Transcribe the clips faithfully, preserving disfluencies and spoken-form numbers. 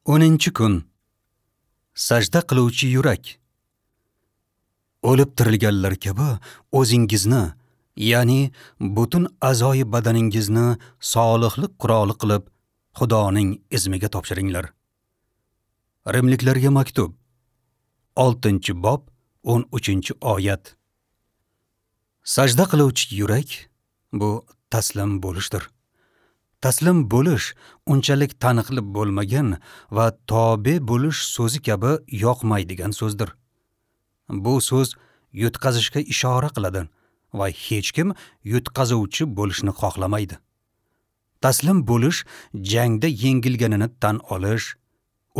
O'ninchi kun. Sajda qiluvchi yurak. O'lib tirilganlar kabi o'zingizni, ya'ni butun a'zoyi badaningizni solihlik quroli qilib Xudoning izmiga topshiringlar. Rimliklarga maktub, oltinchi bob, o'n uchinchi oyat. Sajda qiluvchi yurak bu taslim bo'lishdir. Taslim bo'lish unchalik taniqli bo'lmagan va tobe bo'lish so'zi kabi yoqmaydigan so'zdir. Bu so'z yutqazishga ishora qiladi va hech kim yutqazuvchi bo'lishni xohlamaydi. Taslim bo'lish jangda yengilganini tan olish,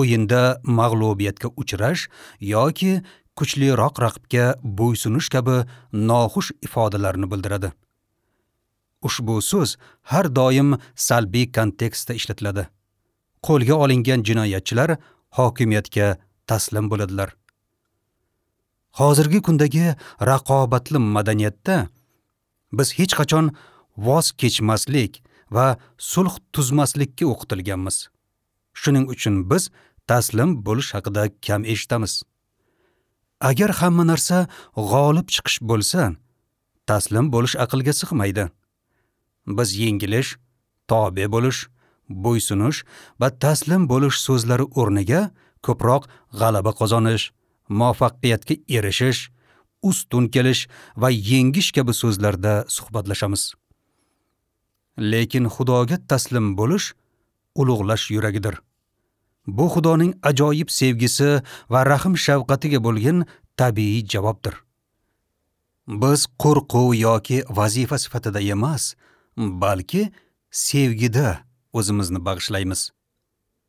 o'yinda mag'lubiyatga uchrash yoki kuchliroq raqibga bo'ysunish kabi noxush ifodalarni bildiradi. Ushbu so'z har doim salbiy kontekstda ishlatiladi. Qo'lga olingan jinoyatchilar hokimiyatga taslim bo'ladilar. Hozirgi kundagi raqobatli madaniyatda biz hech qachon voz kechmaslik va sulh tuzmaslikka o'qitilganmiz. Shuning uchun biz taslim bo'lish haqida kam eshitamiz. Agar hamma narsa g'olib chiqish bo'lsa, taslim bo'lish aqlga sig'maydi. Biz yengilish, tobe bo'lish, bo'ysunish va taslim bo'lish so'zlari o'rniga ko'proq g'alaba qozonish, muvaffaqiyatga erishish, ustun kelish va yengish kabi so'zlarda suhbatlashamiz. Lekin Xudoga taslim bo'lish ulug'lash yuragidir. Bu Xudoning ajoyib sevgisi va rahm shafqatiga bo'lgan tabiiy javobdir. Biz qo'rquv yoki vazifa sifatida emas, balki sevgida o'zimizni bag'ishlaymiz.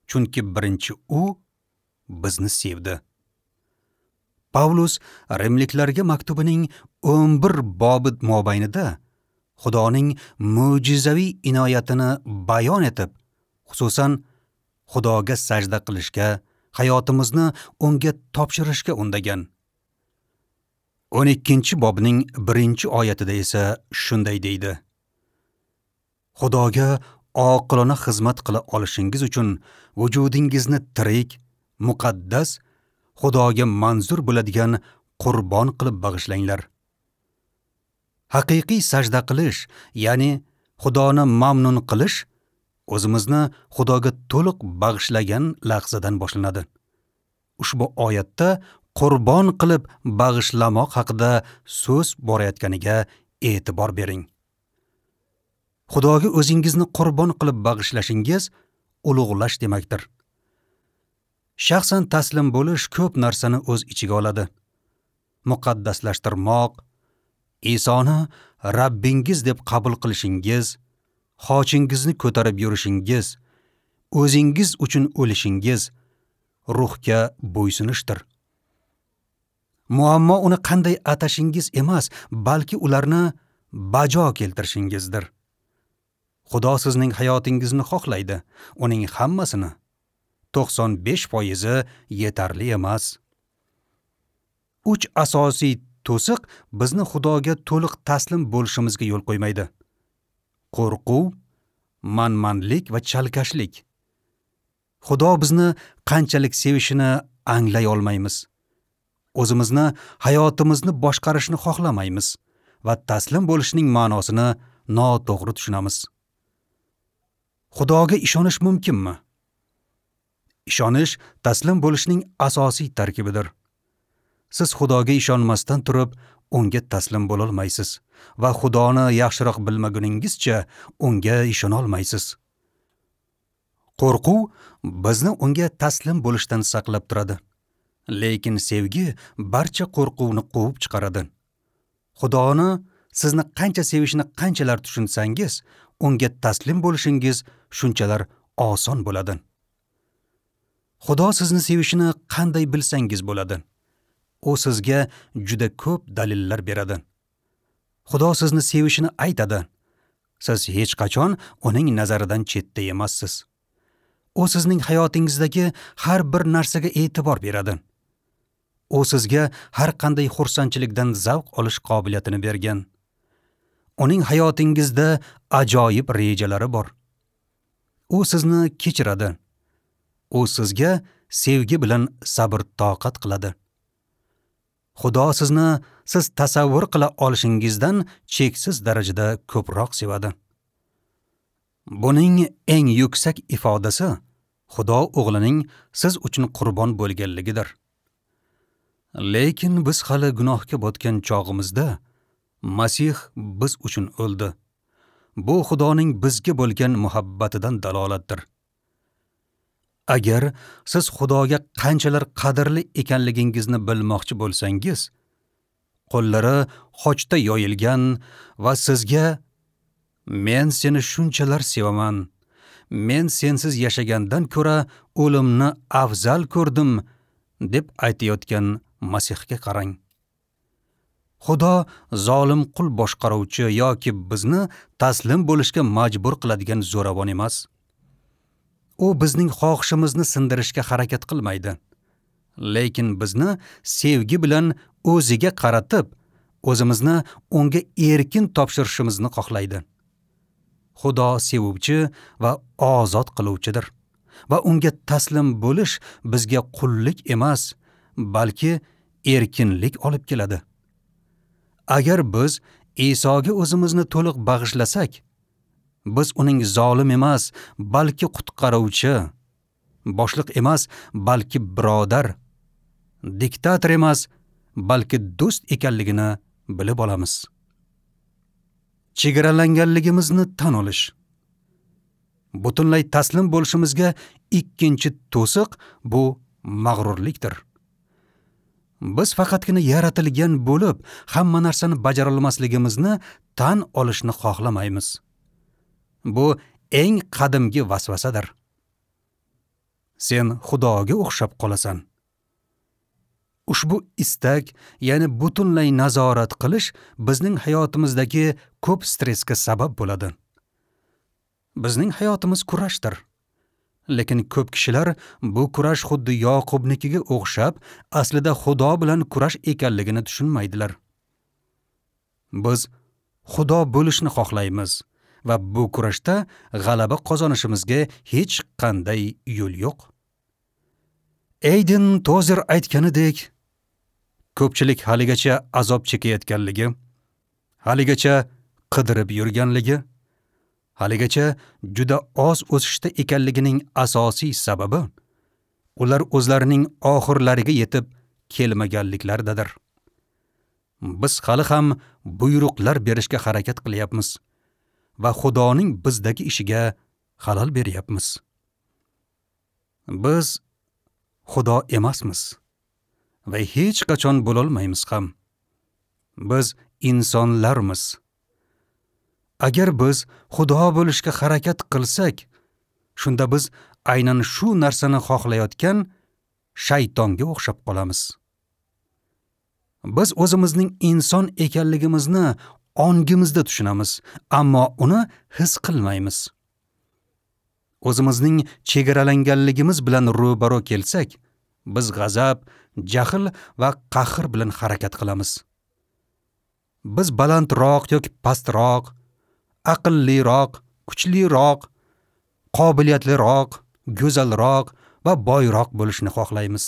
Chunki birinchi u bizni sevdi. Pavlus Rimliklarga maktubining o'n bir bobi mobaynida Xudoning mo'jizaviy inoyatini bayon etib, xususan Xudoga sajda qilishga, hayotimizni unga topshirishga undagan. o'n ikkinchi bobning birinchi oyatida esa shunday deydi: Xudoga oqilona xizmat qila olishingiz uchun vujudingizni tirik, muqaddas, Xudoga manzur bo'ladigan qurbon qilib bag'ishlanglar. Haqiqiy sajda qilish, ya'ni Xudoni mamnun qilish, o'zimizni Xudoga to'liq bag'ishlagan lahzadan boshlanadi. Ushbu oyatda qurbon qilib bag'ishlamoq haqida so'z borayotganiga e'tibor bering. Xudoga o'zingizni qurbon qilib bag'ishlashingiz ulug'lash demakdir. Shaxsan taslim bo'lish ko'p narsani o'z ichiga oladi. Muqaddaslashtirmoq, Isoni Rabbingiz deb qabul qilishingiz, xochingizni ko'tarib yurishingiz, o'zingiz uchun o'lishingiz ruhga bo'ysunishdir. Muammo uni qanday atashingiz emas, balki ularni bajo keltirishingizdir. Xudo sizning hayotingizni xohlaydi, uning hammasini to'qson besh foizi yetarli emas. Uch asosiy to'siq bizni Xudoga to'liq taslim bo'lishimizga yo'l qo'ymaydi. Qo'rquv, manmanlik va chalkashlik. Xudo bizni qanchalik sevishini anglay olmaymiz. O'zimizni, hayotimizni boshqarishni xohlamaymiz va taslim bo'lishning ma'nosini noto'g'ri tushunamiz. Xudoga ishonish mumkinmi? Ishonish taslim bo'lishning asosiy tarkibidir. Siz Xudoga ishonmasdan turib, unga taslim bo'la olmaysiz va Xudoni yaxshiroq bilmaguningizcha unga ishona olmaysiz. Qo'rquv bizni unga taslim bo'lishdan saqlab turadi. Lekin sevgi barcha qo'rquvni quvib chiqaradi. Xudoni sizni qancha sevishini qanchalar tushunsangiz, unga taslim bo'lishingiz shunchalar oson bo'ladi. Xudo sizni sevishini qanday bilsangiz bo'ladi? U sizga juda ko'p dalillar beradi. Xudo sizni sevishini aytadi. Siz hech qachon uning nazaridan chetda emassiz. U sizning hayotingizdagi har bir narsaga e'tibor beradi. U sizga har qanday xursandchilikdan zavq olish qobiliyatini bergan. Uning hayotingizda ajoyib rejalari bor. U sizni kechiradi. U sizga sevgi bilan sabr toqat qiladi. Xudo sizni siz tasavvur qila olishingizdan cheksiz darajada ko'proq sevadi. Buning eng yuksak ifodasi Xudo o'g'lining siz uchun qurbon bo'lganligidir. Lekin biz hali gunohga botgan chog'imizda Masih biz uchun o'ldi. Bu Xudoning bizga bo'lgan muhabbatidan dalolatdir. Agar siz Xudoga qanchalar qadrli ekanligingizni bilmoqchi bo'lsangiz, qo'llari xochda yoyilgan va sizga "Men seni shunchalar sevaman, men sensiz yashagandan ko'ra o'limni afzal ko'rdim" deb aytayotgan Masihga qarang. Xudo zolim qul boshqaruvchi yoki bizni taslim bo'lishga majbur qiladigan zo'ravon emas. U bizning xohishimizni sindirishga harakat qilmaydi. Lekin bizni sevgi bilan o'ziga qaratib, o'zimizni unga erkin topshirishimizni xohlaydi. Xudo sevuvchi va ozod qiluvchidir va unga taslim bo'lish bizga qullik emas, balki erkinlik olib keladi. Agar biz Isoga o'zimizni to'liq bag'ishlasak, biz uning zolim emas, balki qutqaruvchi, boshliq emas, balki birodar, diktator emas, balki do'st ekanligini bilib olamiz. Chegaralanganligimizni tan olish. Butunlay taslim bo'lishimizga ikkinchi to'siq bu mag'rurlikdir. Biz faqatgina yaratilgan bo'lib, hamma narsani bajara olmasligimizni tan olishni xohlamaymiz. Bu eng qadimgi vasvasadir. Sen Xudoga o'xshab qolasan. Ushbu istak, ya'ni butunlay nazorat qilish bizning hayotimizdagi ko'p stressga sabab bo'ladi. Bizning hayotimiz kurashdir. Lekin ko'p kishilar bu kurash xuddi Yoqubnikiga o'xshab, aslida Xudo bilan kurash ekanligini tushunmaydilar. Biz Xudo bo'lishni xohlaymiz va bu kurashda g'alaba qozonishimizga hech qanday yo'l yo'q. Aydin Tozer aytganidek, ko'pchilik haligacha azob chekayotganligi, haligacha qidirib yurganligi, haligacha juda oz o'sishda ekanligining asosiy sababi ular o'zlarining oxirlariga yetib kelmaganliklaridadir. Biz hali ham buyruqlar berishga harakat qilyapmiz va Xudoning bizdagi ishiga xalal beryapmiz. Biz Xudo emasmiz va hech qachon bo'lolmaymiz ham. Biz insonlarmiz. Agar biz Xudo bo'lishga harakat qilsak, shunda biz aynan shu narsani xohlayotgan shaytonga o'xshab qolamiz. Biz o'zimizning inson ekanligimizni ongimizda tushunamiz, ammo uni his qilmaymiz. O'zimizning chegaralanganligimiz bilan ro'baro kelsak, biz g'azab, jahl va qahr bilan harakat qilamiz. Biz balandroq yoki pastroq, aqlliroq, kuchliroq, qobiliyatliroq, go'zalroq va boyroq bo'lishni xohlaymiz.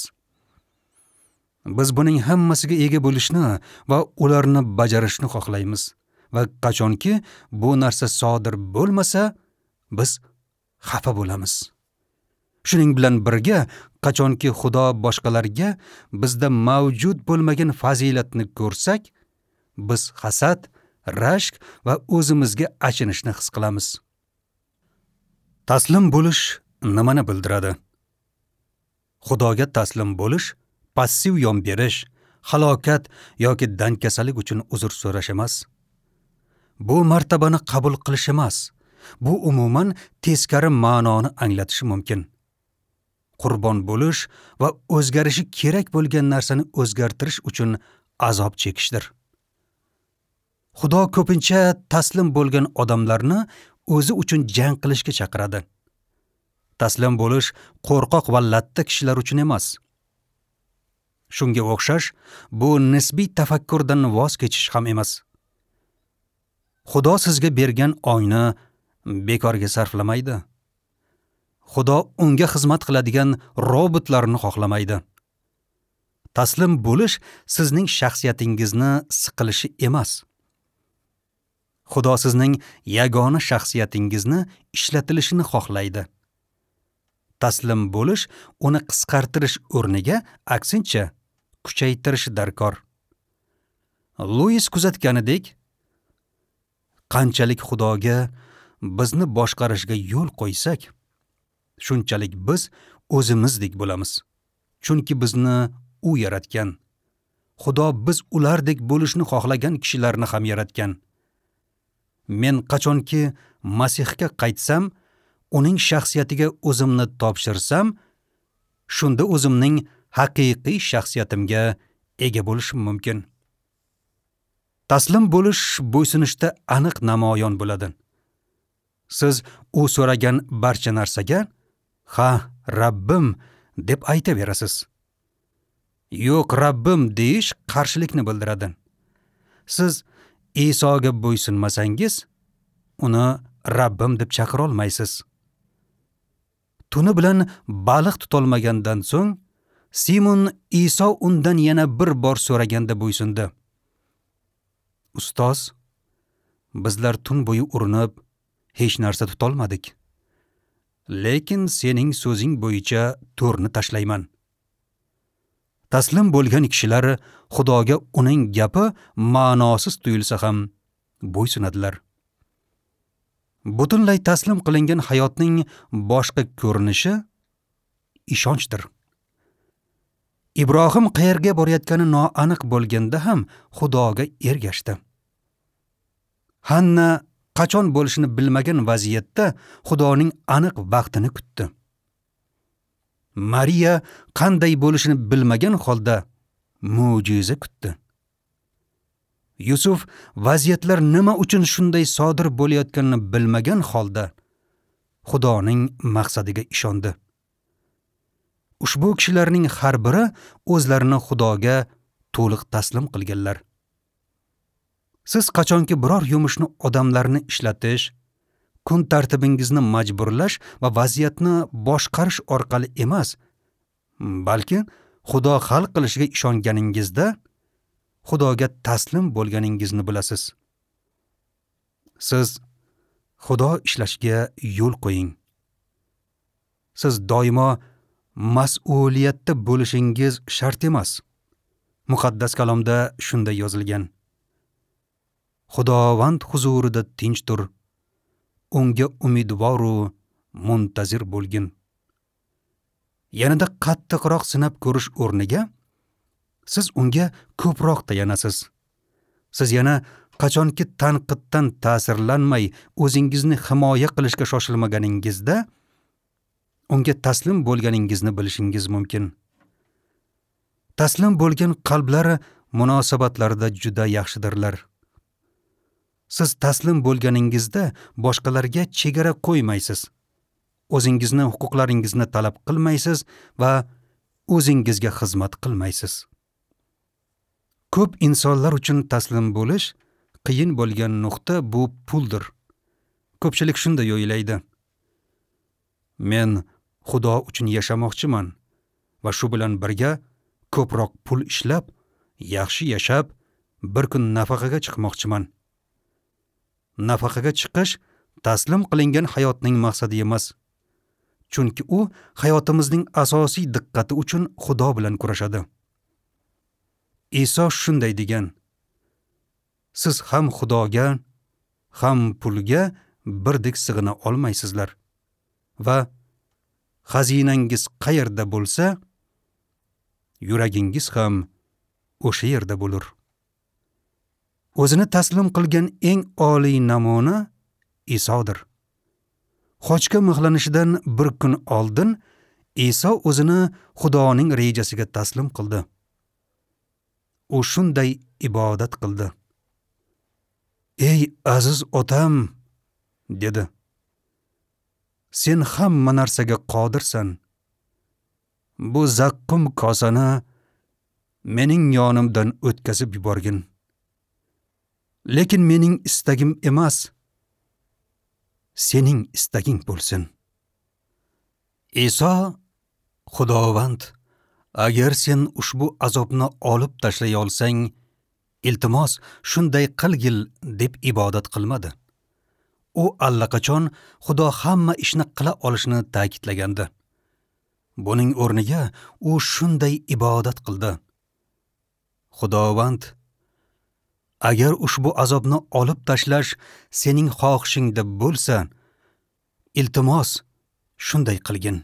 Biz buning hammasiga ega bo'lishni va ularni bajarishni xohlaymiz va qachonki bu narsa sodir bo'lmasa, biz xafa bo'lamiz. Shuning bilan birga, qachonki Xudo boshqalarga bizda mavjud bo'lmagan fazilatni ko'rsak, biz hasad, rashk va o'zimizga achinishni his qilamiz. Taslim bo'lish nimani bildiradi? Xudoga taslim bo'lish passiv yon berish, halokat yoki dankasalik uchun uzr so'rash emas. Bu martabani qabul qilish emas. Bu umuman teskari ma'noni anglatishi mumkin. Qurbon bo'lish va o'zgarishi kerak bo'lgan narsani o'zgartirish uchun azob chekishdir. Xudo ko'pincha taslim bo'lgan odamlarni o'zi uchun jang qilishga chaqiradi. Taslim bo'lish qo'rqoq va latta kishilar uchun emas. Shunga o'xshash, bu nisbiy tafakkurdan voz kechish ham emas. Xudo sizga bergan ongni bekorga sarflamaydi. Xudo unga xizmat qiladigan robotlarni xohlamaydi. Taslim bo'lish sizning shaxsiyatingizni siqilishi emas. Xudo sizning yagona shaxsiyatingizni ishlatilishini xohlaydi. Taslim bo'lish uni qisqartirish o'rniga aksincha kuchaytirish darkor. Luis kuzatganidek, qanchalik Xudoga bizni boshqarishga yo'l qo'ysak, shunchalik biz o'zimizdek bo'lamiz. Chunki bizni u yaratgan. Xudo biz ulardek bo'lishni xohlagan kishilarni ham yaratgan. Men qachonki Masihga qaytsam, uning shaxsiyatiga o'zimni topshirsam, shunda o'zimning haqiqiy shaxsiyatimga ega bo'lishim mumkin. Taslim bo'lish bo'ysunishda aniq namoyon bo'ladi. Siz u so'ragan barcha narsaga "Ha, Rabbim" deb aytaverasiz. "Yo'q, Rabbim" deyish qarshilikni bildiradi. Siz Isoga bo'ysunmasangiz, uni Rabbim deb chaqira olmaysiz. Tuni bilan baliq tutolmagandan so'ng Simon Iso undan yana bir bor so'raganda bo'ysundi. Ustoz, bizlar tun bo'yi urinib hech narsa tutolmadik. Lekin sening so'zing bo'yicha to'rni tashlayman. Taslim bo'lgan kishilar Xudoga uning gapi ma'nosiz tuyulsa ham bo'ysunadilar. Butunlay taslim qilingan hayotning boshqa ko'rinishi ishonchdir. Ibrohim qayerga borayotgani noaniq bo'lganda ham Xudoga ergashdi. Hanna qachon bo'lishini bilmagan vaziyatda Xudoning aniq vaqtini kutdi. Mariya qanday bo'lishini bilmagan holda mo'jiza kutdi. Yusuf vaziyatlar nima uchun shunday sodir bo'layotganini bilmagan holda Xudoning maqsadiga ishondi. Ushbu kishilarning har biri o'zlarini Xudoga to'liq taslim qilganlar. Siz qachonki biror yumushni odamlarni ishlatish, kun tartibingizni majburlash va vaziyatni boshqarish orqali emas, balki Xudo hal qilishiga ishonganingizda Xudoga taslim bo'lganingizni bilasiz. Siz Xudo ishlashiga yo'l qo'ying. Siz doimo mas'uliyatda bo'lishingiz shart emas. Muqaddas kalomda shunday yozilgan: Xudovand huzurida tinch tur, unga umidvoru muntazir bo'lgin. Yanada qattiqroq sinab ko'rish o'rniga siz unga ko'proq tayanasiz. Siz yana qachonki tanqiddan ta'sirlanmay o'zingizni himoya qilishga shoshilmaganingizda unga taslim bo'lganingizni bilishingiz mumkin. Taslim bo'lgan qalblar munosabatlarda juda yaxshidirlar. Siz taslim bo'lganingizda boshqalarga chegara qo'ymaysiz. O'zingizni huquqlaringizni talab qilmaysiz va o'zingizga xizmat qilmaysiz. Ko'p insonlar uchun taslim bo'lish qiyin bo'lgan nuqta bu puldir. Ko'pchilik shunday o'ylaydi. Men Xudo uchun yashamoqchiman va shu bilan birga ko'proq pul ishlab, yaxshi yashab, bir kun nafaqaga chiqmoqchiman. Nafaqaga chiqish taslim qilingan hayotning maqsadi emas. Chunki u hayotimizning asosiy diqqati uchun Xudo bilan kurashadi. Iso shunday degan: Siz ham Xudoga, ham pulga birdek sig'ina olmaysizlar. Va xazinangiz qayerda bo'lsa, yuragingiz ham o'sha yerda bo'lur. O'zini taslim qilgan eng oliy namuna Isodir. Xochga mixlanishidan bir kun oldin Iso o'zini Xudoning rejasiga taslim qildi. U shunday ibodat qildi. Ey aziz otam, dedi. Sen hamma narsaga qodirsan. Bu zaqqum kosani mening yonimdan o'tkazib yuborgin. Lekin mening istagim emas, sening istaging bo'lsin. Iso: Xudovand, agar sen ushbu azobni olib tashlay olsang, iltimos shunday qilgil deb ibodat qilmadi. U allaqachon Xudo hamma ishni qila olishini ta'kidlagandi. Buning o'rniga u shunday ibodat qildi: Xudovand, agar ushbu azobni olib tashlash sening xohishingda bo'lsa, iltimos shunday qilgin.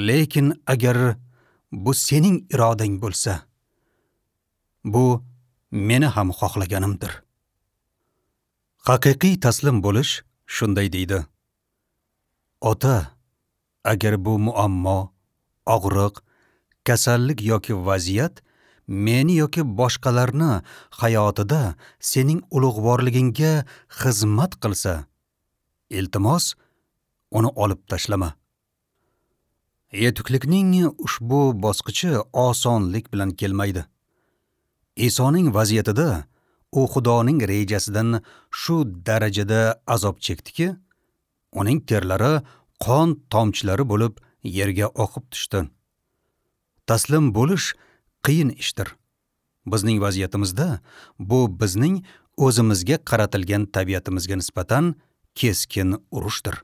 Lekin agar bu sening irodang bo'lsa, bu meni ham xohlaganimdir. Haqiqiy taslim bo'lish shunday deydi: Ota, agar bu muammo, og'riq, kasallik yoki vaziyat meni yoki boshqalarni hayotida sening ulug'vorligingga xizmat qilsa, iltimos uni olib tashlama. Yetuklikning ushbu bosqichi osonlik bilan kelmaydi. Isoning vaziyatida u Xudoning rejasidan shu darajada azob chekdiki, uning terlari qon tomchilari bo'lib yerga oqib tushdi. Taslim bo'lish qiyin ishdir. Bizning vaziyatimizda bu bizning o'zimizga qaratilgan tabiatimizga nisbatan keskin urushdir.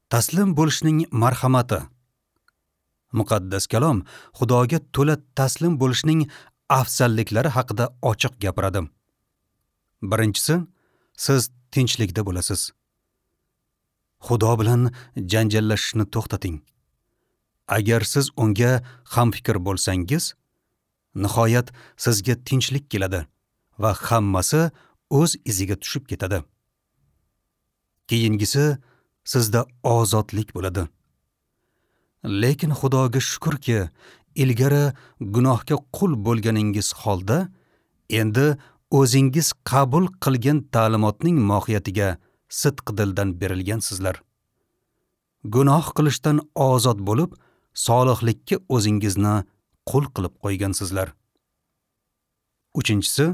Taslim bo'lishning marhamati. Muqaddas kalom Xudoga to'la taslim bo'lishning afzalliklari haqida ochiq gapiradi. Birinchisi, siz tinchlikda bo'lasiz. Xudo bilan janjallashishni to'xtating. Agar siz unga hamfikr bo'lsangiz, nihoyat sizga tinchlik keladi va hammasi o'z iziga tushib ketadi. Keyingisi, sizda ozodlik bo'ladi. Lekin Xudoga shukrki, ilgari gunohga qul bo'lganingiz holda, endi o'zingiz qabul qilgan ta'limotning mohiyatiga sidq dildan berilgansizlar. Gunoh qilishdan ozod bo'lib, solihlikka o'zingizni qul qilib qo'ygansizlar. Uchinchisi,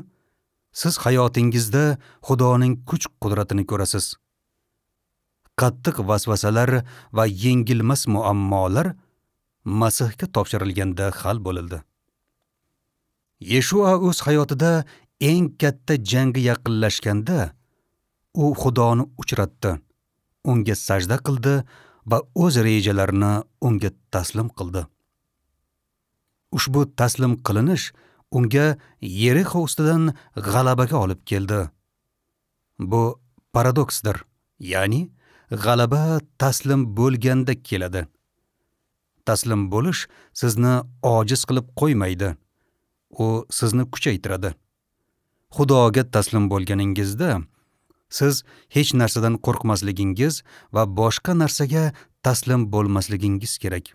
siz hayotingizda Xudoning kuch-qudratini ko'rasiz. Qattiq vasvasalar va yengilmas muammolar Masihga topshirilganda hal bo'lildi. Yeshua o'z hayotida eng katta jangga yaqinlashganda, u Xudoni uchratdi, unga sajda qildi va o'z rejalarini unga taslim qildi. Ushbu taslim qilinish unga Yerixo ustidan g'alabaga olib keldi. Bu paradoksdir, ya'ni g'alaba taslim bo'lganda keladi. Taslim bo'lish sizni ojiz qilib qo'ymaydi. U sizni kuchaytiradi. Xudoga taslim bo'lganingizda siz hech narsadan qo'rqmasligingiz va boshqa narsaga taslim bo'lmasligingiz kerak.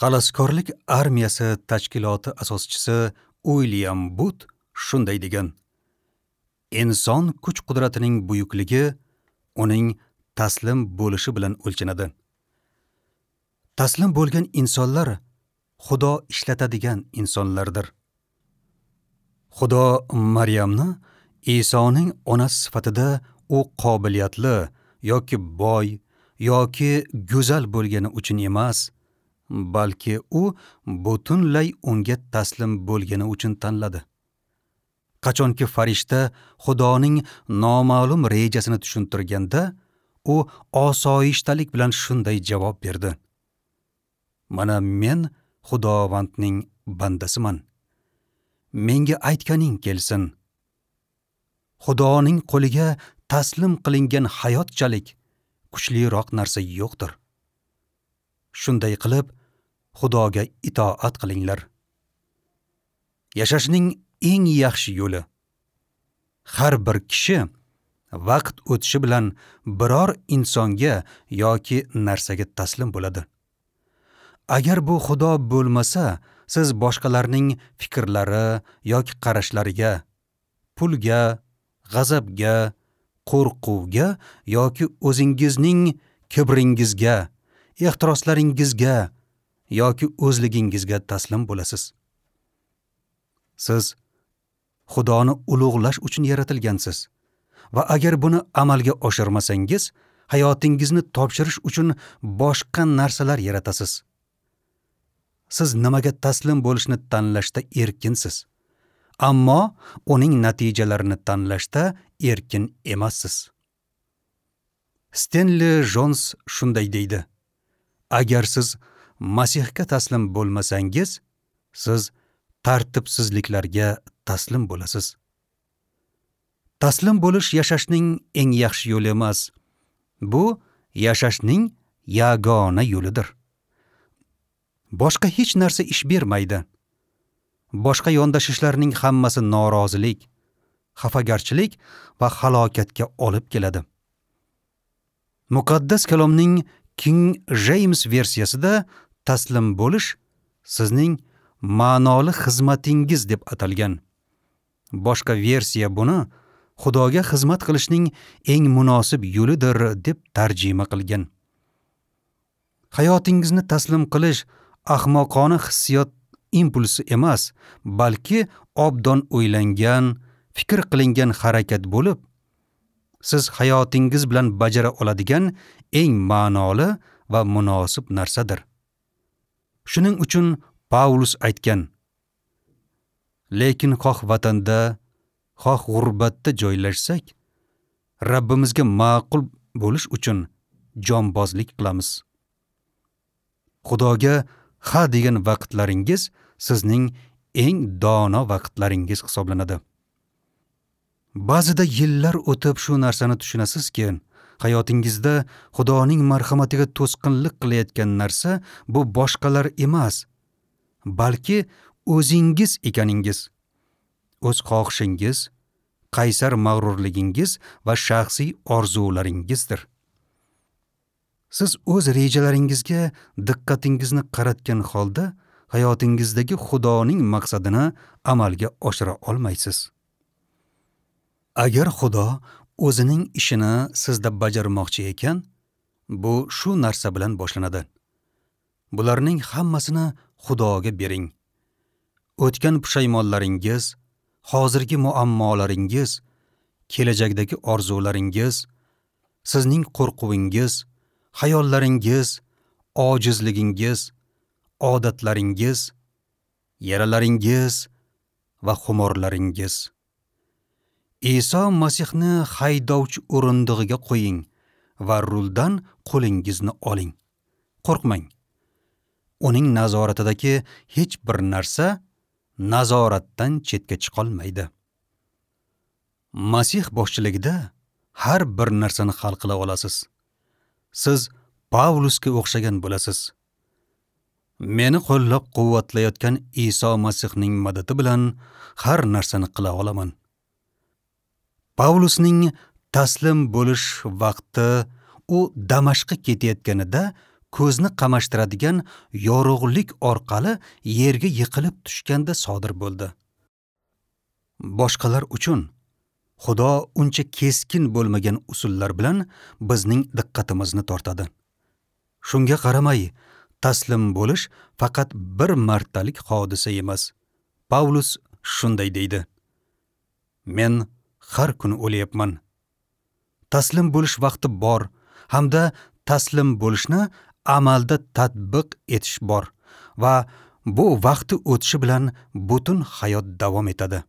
Xaloskorlik armiyasi tashkiloti asoschisi Uilyam But shunday degan: inson kuch-qudratining buyukligi uning taslim bo'lishi bilan o'lchanadi. Taslim bo'lgan insonlar Xudo ishlatadigan insonlardir. Xudo Maryamni Isoning onasi sifatida u qobiliyatli yoki boy yoki go'zal bo'lgani uchun emas, balki u butunlay unga taslim bo'lgani uchun tanladi. Qachonki farishta Xudoning noma'lum rejasini tushuntirganda, u osoyishtalik bilan shunday javob berdi: Mana men Xudovandning bandasiman. Menga aytganing kelsin. Xudoning qo'liga taslim qilingan hayotchalik kuchliroq narsa yo'qdir. Shunday qilib, Xudoga itoat qilinglar. Yashashning eng yaxshi yo'li. Har bir kishi vaqt o'tishi bilan biror insonga yoki narsaga taslim bo'ladi. Agar bu Xudo bo'lmasa, siz boshqalarning fikrlari yoki qarashlariga, pulga, g'azabga, qo'rquvga yoki o'zingizning kibringizga, ehtiroslaringizga yoki o'zligingizga taslim bo'lasiz. Siz Xudoni ulug'lash uchun yaratilgansiz va agar buni amalga oshirmasangiz, Hayotingizni topshirish uchun boshqa narsalar yaratasiz. Siz nimaga taslim bo'lishni tanlashda erkinsiz, ammo uning natijalarini tanlashda erkin emassiz. Stanley Jones shunday deydi: agar siz Masihga taslim bo'lmasangiz, siz tartibsizliklarga taslim bo'lasiz. Taslim bo'lish yashashning eng yaxshi yo'li emas. Bu yashashning yagona yo'lidir. Boshqa hech narsa ish bermaydi. Boshqa yondashishlarning hammasi norozilik, xafagarchilik va halokatga olib keladi. Muqaddas kalomning King James versiyasida taslim bo'lish sizning ma'noli xizmatingiz deb atalgan. Boshqa versiya buni Xudoga xizmat qilishning eng munosib yo'lidir deb tarjima qilgan. Hayotingizni taslim qilish ahmoqona hissiyot impulsi emas, balki obdon o'ylangan, fikr qilingan harakat bo'lib, siz hayotingiz bilan bajara oladigan eng ma'noli va munosib narsadir. Shuning uchun Paulus aytgan: lekin xoh vatanda, xoh g'urbatda joylashsak, Rabbimizga ma'qul bo'lish uchun jonbozlik qilamiz. Xudoga ha degan vaqtlaringiz sizning eng dono vaqtlaringiz hisoblanadi. Ba'zida yillar o'tib shu narsani tushunasizki, hayotingizda Xudoning marhamatiga to'sqinlik qilayotgan narsa bu boshqalar emas, balki o'zingiz ekaningiz. O'z xohishingiz, qaysar mag'rurligingiz va shaxsiy orzularingizdir. Siz o'z rejalaringizga diqqatingizni qaratgan holda hayotingizdagi Xudoning maqsadini amalga oshira olmaysiz. Agar Xudo o'zining ishini sizda bajarmoqchi ekan, bu shu narsa bilan boshlanadi. Bularning hammasini Xudoga bering. O'tgan pushaymonlaringiz, hozirgi muammolaringiz, kelajakdagi orzularingiz, sizning qo'rquvingiz, xayollaringiz, ojizligingiz, odatlaringiz, yaralaringiz va xumorlaringiz. Iso Masihni haydovchi o'rindig'iga qo'ying va ruldan qo'lingizni oling. Qo'rqmang. Uning nazoratidagi hech bir narsa nazoratdan chetga chiqolmaydi. Masih boshchiligida har bir narsani hal qila olasiz. Siz Pavlusga o'xshagan bo'lasiz. Meni qo'llab-quvvatlayotgan Iso Masihning madadi bilan har narsani qila olaman. Pavlusning taslim bo'lish vaqti u Damashqqa ketayotganida ko'zni qamashtiradigan yorug'lik orqali yerga yiqilib tushganda sodir bo'ldi. Boshqalar uchun Xudo uncha keskin bo'lmagan usullar bilan bizning diqqatimizni tortadi. Shunga qaramay, taslim bo'lish faqat bir martalik hodisa emas. Pavlus shunday deydi: Men har kuni o'layapman. Taslim bo'lish vaqti bor hamda taslim bo'lishni amalda tatbiq etish bor va bu vaqti o'tishi bilan butun hayot davom etadi.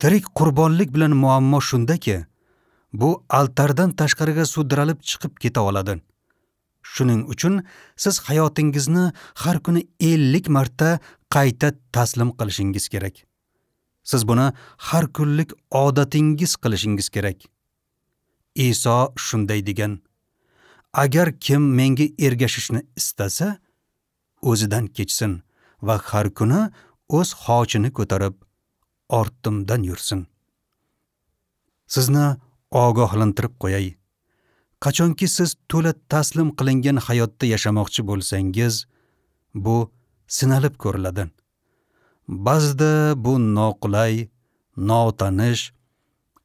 Tirik qurbonlik bilan muammo shundaki, bu altardan tashqariga sudralib chiqib keta oladi. Shuning uchun siz hayotingizni har kuni ellik marta qayta taslim qilishingiz kerak. Siz buni har kunlik odatingiz qilishingiz kerak. Iso shunday degan: Agar kim menga ergashishni istasa, o'zidan kechsin va har kuni o'z xochini ko'tarib ortimdan yursin. Sizni ogohlantirib qo'yay. Qachonki siz to'la taslim qilingan hayotda yashamoqchi bo'lsangiz, bu sinalib ko'riladi. Ba'zida bu noqulay, notanish,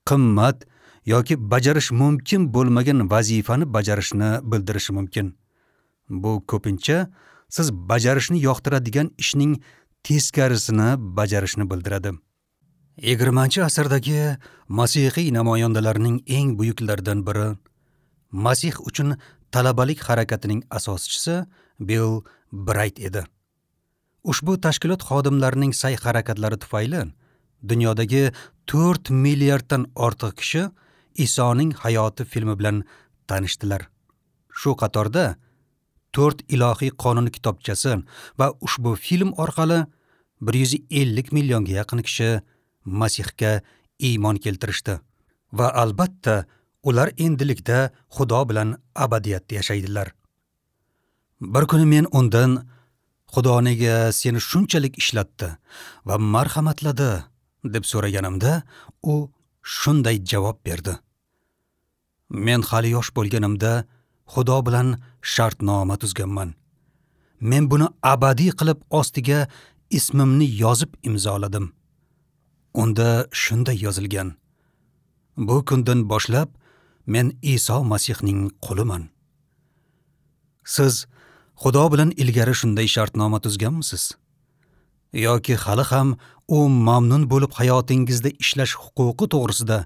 qimmat yoki bajarish mumkin bo'lmagan vazifani bajarishni bildirishi mumkin. Bu ko'pincha siz bajarishni yoqtiradigan ishning teskarisini bajarishni bildiradi. yigirmanchi asrdagi masihiy namoyandalarning eng buyuklaridan biri Masih uchun talabalik harakatining asoschisi Bill Brayt edi. Ushbu tashkilot xodimlarining sa'y-harakatlari tufayli dunyodagi to'rt milliarddan ortiq kishi Isoning hayoti filmi bilan tanishdilar. Shu qatorda to'rt ilohiy qonun kitobchasi va ushbu film orqali bir yuz ellik millionga yaqin kishi Masihga iymon keltirishdi va albatta ular endilikda Xudo bilan abadiyatda yashaydilar. Bir kuni men undan Xudo nega seni shunchalik ishlatdi va marhamatladi deb so'raganimda, u shunday javob berdi: Men hali yosh bo'lganimda Xudo bilan shartnoma tuzganman. Men buni abadiy qilib ostiga ismimni yozib imzoladim. Unda shunday yozilgan: Bu kundan boshlab men Iso Masihning quliman. Siz Xudo bilan ilgari shunday shartnoma tuzganmisiz? Yoki hali ham u mamnun bo'lib hayotingizda ishlash huquqi to'g'risida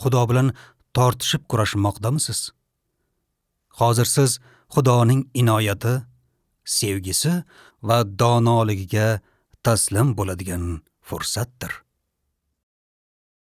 Xudo bilan tortishib kurashmoqdamisiz? Hozir siz Xudoning inoyati, sevgisi va donoligiga taslim bo'ladigan fursatdir.